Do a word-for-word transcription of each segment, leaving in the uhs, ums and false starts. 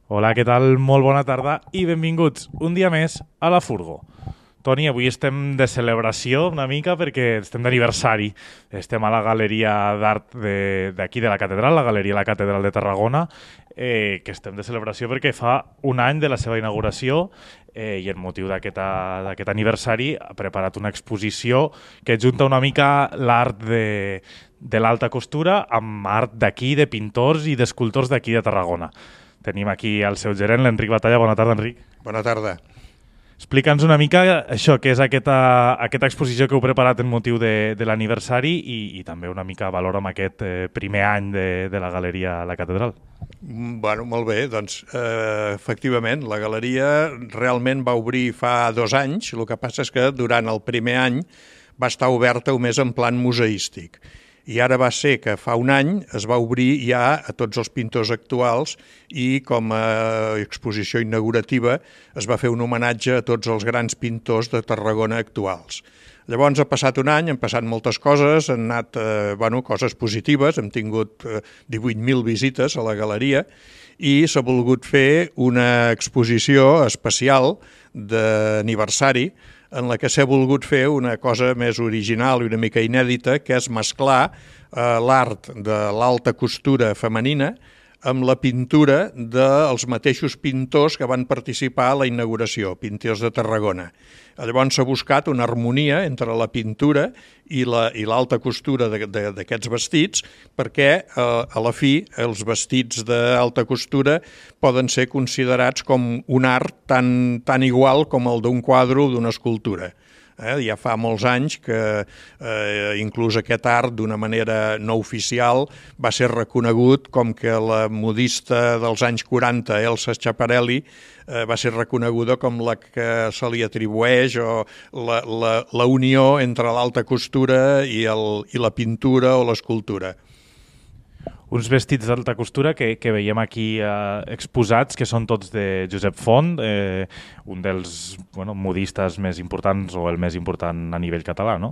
Hola, què tal? Molt bona tarda i benvinguts un dia més a la Furgo. Toni, avui estem de celebració una mica perquè estem d'aniversari. Estem a la Galeria d'Art d'aquí de, de la Catedral, la Galeria La Catedral de Tarragona, eh, que estem de celebració perquè fa un any de la seva inauguració eh, i en motiu d'aquest aniversari ha preparat una exposició que junta una mica l'art de, de l'alta costura amb art d'aquí, de pintors i d'escultors d'aquí de Tarragona. Tenim aquí el seu gerent, l'Enric Batalla. Bona tarda, Enric. Bona tarda. Explica'ns una mica això, què és aquesta, aquesta exposició que heu preparat en motiu de, de l'aniversari i, i també una mica valor amb aquest eh, primer any de, de la Galeria La Catedral. Bueno, molt bé, doncs eh, efectivament la galeria realment va obrir fa dos anys, el que passa és que durant el primer any va estar oberta només en plan museístic. I ara va ser que fa un any es va obrir ja a tots els pintors actuals i com a exposició inaugurativa es va fer un homenatge a tots els grans pintors de Tarragona actuals. Llavors ha passat un any, han passat moltes coses, han anat eh, bueno, coses positives, hem tingut eh, divuit mil visites a la galeria i s'ha volgut fer una exposició especial d'aniversari en la que s'ha volgut fer una cosa més original i una mica inèdita, que és mesclar eh, l'art de l'alta costura femenina amb la pintura dels mateixos pintors que van participar a la inauguració, pintors de Tarragona. Llavors s'ha buscat una harmonia entre la pintura i l'alta costura d'aquests vestits perquè eh, a la fi els vestits d'alta costura poden ser considerats com un art tan, tan igual com el d'un quadre o d'una escultura. Eh, ja fa molts anys que eh, inclús aquest art d'una manera no oficial va ser reconegut com que la modista dels anys quaranta, Elsa Schiaparelli, eh, va ser reconeguda com la que se li atribueix o la, la, la unió entre l'alta costura i, el, i la pintura o l'escultura. Uns vestits d'alta costura que, que veiem aquí eh, exposats, que són tots de Josep Font, eh, un dels bueno, modistes més importants o el més important a nivell català, no?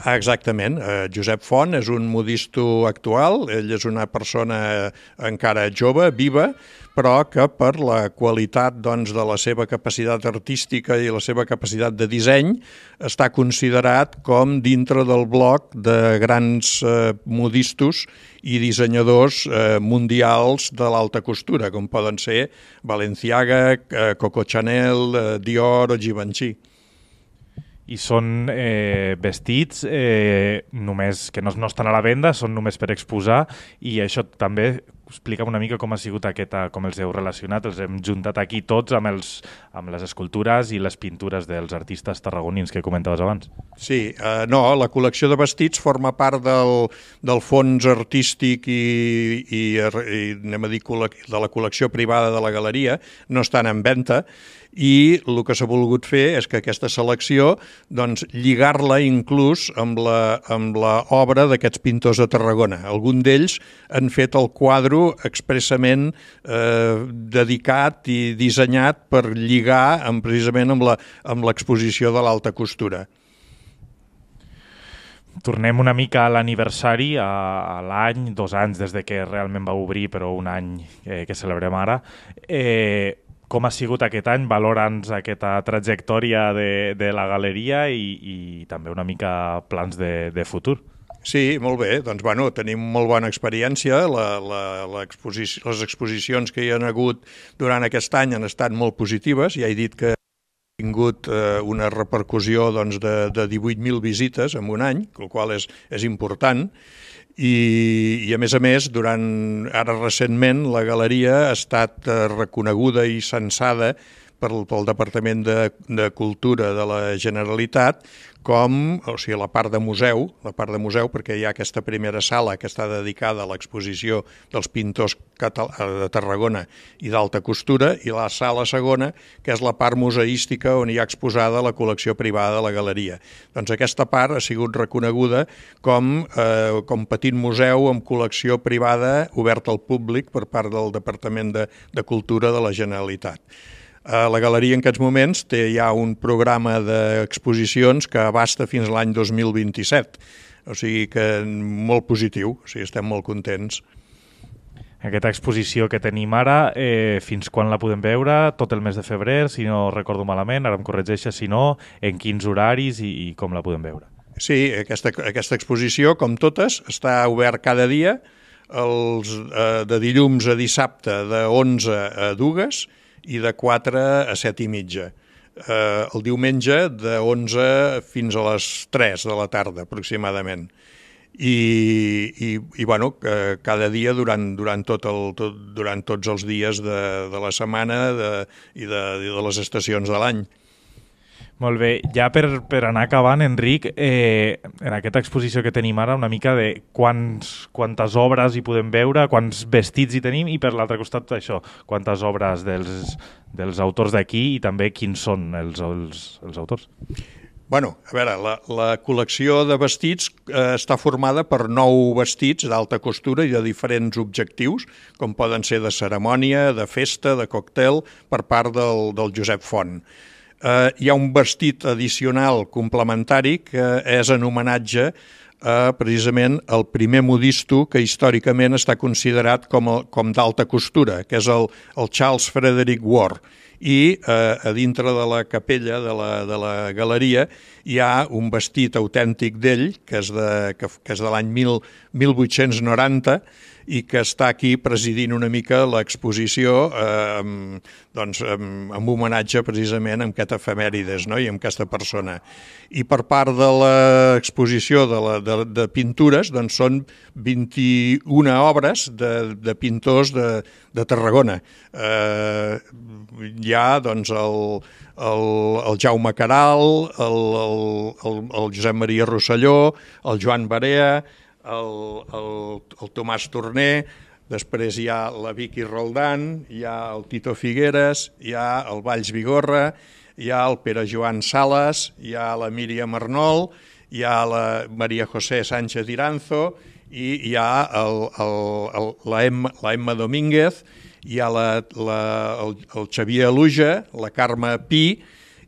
Ah, exactament. Eh, Josep Font és un modisto actual, ell és una persona encara jove, viva, però que per la qualitat doncs, de la seva capacitat artística i la seva capacitat de disseny està considerat com dintre del bloc de grans eh, modistos i dissenyadors eh, mundials de l'alta costura, com poden ser Balenciaga, eh, Coco Chanel, eh, Dior o Givenchy. I són eh, vestits eh, només que no, no estan a la venda, són només per exposar, i això també explica'm una mica com ha sigut aquesta, com els heu relacionat, els hem juntat aquí tots amb, els, amb les escultures i les pintures dels artistes tarragonins que comentaves abans. Sí, eh, no, la col·lecció de vestits forma part del, del fons artístic i, i, i anem a dir, de la col·lecció privada de la galeria, no estan en venda, i el que s'ha volgut fer és que aquesta selecció doncs, lligar-la inclús amb la, amb la obra d'aquests pintors de Tarragona. Algun d'ells han fet el quadre expressament eh, dedicat i dissenyat per lligar amb, precisament amb l'exposició de l'alta costura. Tornem una mica a l'aniversari, a, a l'any, dos anys des de que realment va obrir, però un any eh, que celebrem ara. Eh, com ha sigut aquest any? Valora'ns aquesta trajectòria de, de la galeria i, i també una mica plans de, de futur. Sí, molt bé. Doncs, bueno, tenim molt bona experiència. La, la, la exposició, les exposicions que hi ha hagut durant aquest any han estat molt positives. Ja he dit que ha tingut eh, una repercussió doncs, de, de divuit mil visites en un any, el qual és, és important. I, i a més a més, durant, ara recentment, la galeria ha estat eh, reconeguda i censada pel, pel Departament de, de Cultura de la Generalitat com, o sigui, la part de museu, la part de museu, perquè hi ha aquesta primera sala que està dedicada a l'exposició dels pintors de Tarragona i d'alta costura, i la sala segona, que és la part museística on hi ha exposada la col·lecció privada de la galeria. Doncs aquesta part ha sigut reconeguda com, eh, com petit museu amb col·lecció privada oberta al públic per part del Departament de, de Cultura de la Generalitat. La galeria en aquests moments té ja un programa d'exposicions que abasta fins a l'any dos mil vint-i-set, o sigui que molt positiu, o sigui, estem molt contents. Aquesta exposició que tenim ara, eh, fins quan la podem veure? Tot el mes de febrer, si no recordo malament, ara em corregeixes si no, en quins horaris i, i com la podem veure? Sí, aquesta, aquesta exposició, com totes, està obert cada dia, els, eh, de dilluns a dissabte de onze a dues i de quatre a set i mitja. Eh, el diumenge de onze fins a les tres de la tarda, aproximadament. I, i, i bueno, cada dia durant, durant, tot el, tot, durant tots els dies de, de la setmana de, i de, de les estacions de l'any. Molt bé, ja per, per anar acabant, Enric, eh, en aquesta exposició que tenim ara, una mica de quants, quantes obres hi podem veure, quants vestits hi tenim, i per l'altre costat això, quantes obres dels, dels autors d'aquí i també quins són els, els, els autors. Bueno, a veure, la, la col·lecció de vestits eh, està formada per nou vestits d'alta costura i de diferents objectius, com poden ser de cerimònia, de festa, de còctel, per part del, del Josep Font. Eh, hi ha un vestit addicional complementari que és en homenatge a, precisament, el primer modisto que històricament està considerat com, a, com d'alta costura, que és el, el Charles Frederick Ward. I eh, a dintre de la capella de la, de la galeria hi ha un vestit autèntic d'ell, que és de, que, que és de l'any mil vuit-cents noranta i que està aquí presidint una mica l'exposició eh, amb, doncs, amb, amb homenatge precisament amb aquest efemèrides, no? I amb aquesta persona. I per part de l'exposició de, la, de, de pintures doncs són vint-i-una obres de, de pintors de, de Tarragona. Eh, hi ha doncs, el, el, el Jaume Caral, el, el, el, el Josep Maria Rosselló, el Joan Barea, el, el, el Tomàs Torner, després hi ha la Vicky Roldán, hi ha el Tito Figueres, hi ha el Valls Vigorra, hi ha el Pere Joan Sales, hi ha la Míriam Arnol, hi ha la Maria José Sánchez Iranzo i hi ha el, el, el, la, Emma, la Emma Domínguez, hi ha la, la, el, el Xavier Aluja, la Carme Pi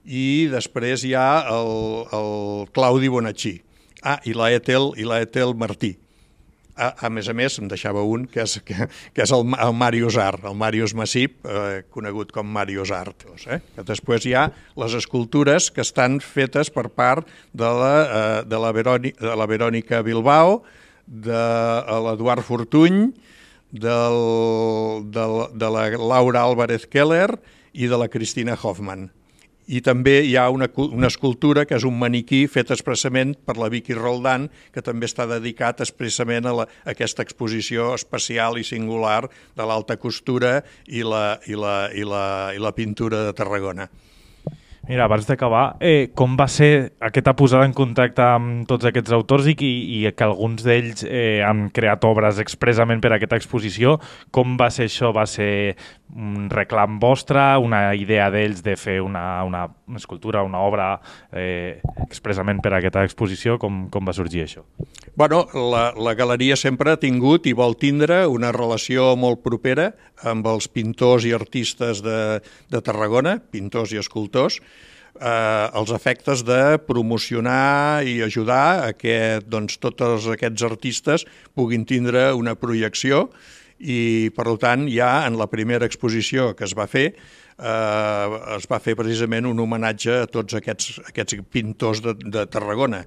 i després hi ha el, el Claudi Bonachí. Ah, i la Etel, i la Etel Martí. A, a més a més, em deixava un, que és, que, que és el, el Màrius Art, el Màrius Massip, eh, conegut com Màrius Art. Eh? Que després hi ha les escultures que estan fetes per part de la, eh, de la, Verònica, de la Verònica Bilbao, de l'Eduard Fortuny, del, de, de la Laura Álvarez Keller i de la Cristina Hoffman. I també hi ha una, una escultura que és un maniquí fet expressament per la Vicky Roldán, que també està dedicat expressament a, la, a aquesta exposició especial i singular de l'alta costura i la, i, la, i, la, i la pintura de Tarragona. Mira, abans d'acabar, eh, com va ser aquesta posada en contacte amb tots aquests autors i, i que alguns d'ells eh, han creat obres expressament per a aquesta exposició? Com va ser això? Va ser un reclam vostre, una idea d'ells de fer una, una escultura, una obra eh, expressament per a aquesta exposició? Com, com va sorgir això? Bueno, la, la galeria sempre ha tingut i vol tindre una relació molt propera amb els pintors i artistes de, de Tarragona, pintors i escultors, eh, els efectes de promocionar i ajudar a que doncs, tots aquests artistes puguin tindre una projecció i, per tant, ja en la primera exposició que es va fer, eh, es va fer precisament un homenatge a tots aquests, aquests pintors de, de Tarragona.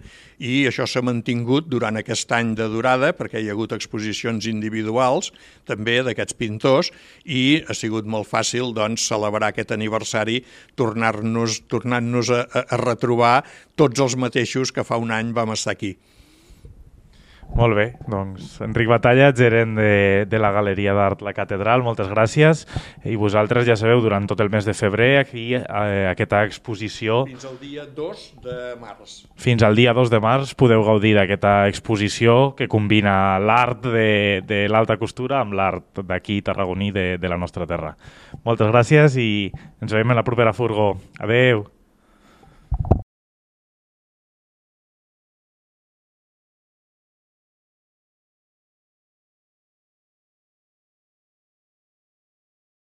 I això s'ha mantingut durant aquest any de durada, perquè hi ha hagut exposicions individuals també d'aquests pintors i ha sigut molt fàcil doncs, celebrar aquest aniversari tornar-nos tornant-nos a, a retrobar tots els mateixos que fa un any vam estar aquí. Molt bé, doncs Enric Batalla, gerent de, de la Galeria d'Art La Catedral, moltes gràcies. I vosaltres ja sabeu, durant tot el mes de febrer, aquí eh, aquesta exposició... Fins al dia dos de març. Fins al dia dos de març podeu gaudir d'aquesta exposició que combina l'art de, de l'alta costura amb l'art d'aquí tarragoní de, de la nostra terra. Moltes gràcies i ens veiem en la propera furgó. Adeu!